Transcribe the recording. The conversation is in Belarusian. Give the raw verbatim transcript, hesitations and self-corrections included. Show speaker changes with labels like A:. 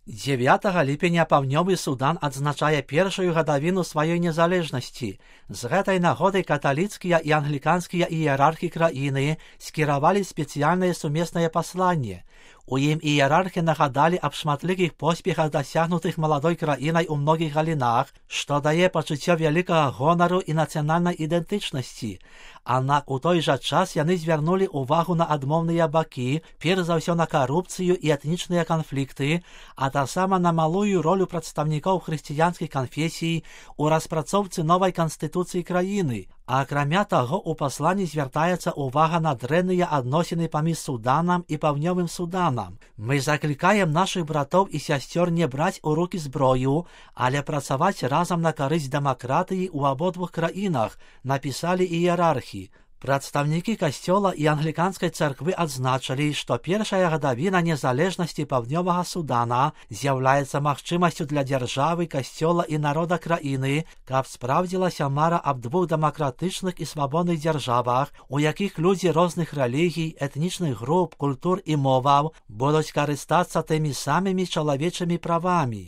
A: дзевятага ліпеня паўднёвы Судан адзначае першую гадавіну сваёй незалежнасці. З гэтай нагоды каталіцкія і англіканскія іерархі краіны скіравалі спецыяльнае сумеснае пасланне. У ім іерархі нагадалі аб шматлікіх поспехах, дасягнутых маладой краінай у многіх галінах, што дае пачуццё вялікага гонару і нацыянальнай ідэнтычнасці. Аднак у той жа час яны звярнулі ўвагу на адмоўныя бакі, перш за ўсё на карупцыю і этнічныя канфлікты, а таксама на малую ролю прадстаўнікоў хрысціянскіх канфесій у распрацоўцы новай канстытуцыі краіны. А акрамя таго, у пасланні звяртаецца ўвага на дрэнныя адносіны паміж Суданам і паўднёвым Суданам. Мы заклікаем нашых братоў і сясцёр не браць у рукі зброю, але працаваць разам на карысць дэмакратыі ў абодвух краінах, напісалі іерархі. Прадстаўнікі касцёла і англіканскай царквы адзначылі, што першая гадавіна незалежнасці паўднёвага Судана з'яўляецца магчымасцю для дзяржавы, касцёла і народа краіны, каб спраўдзілася мара аб двух дэмакратычных і свабодных дзяржавах, у якіх людзі розных рэлігій, этнічных груп, культур і моваў будуць карыстацца тымі самымі чалавечымі правамі.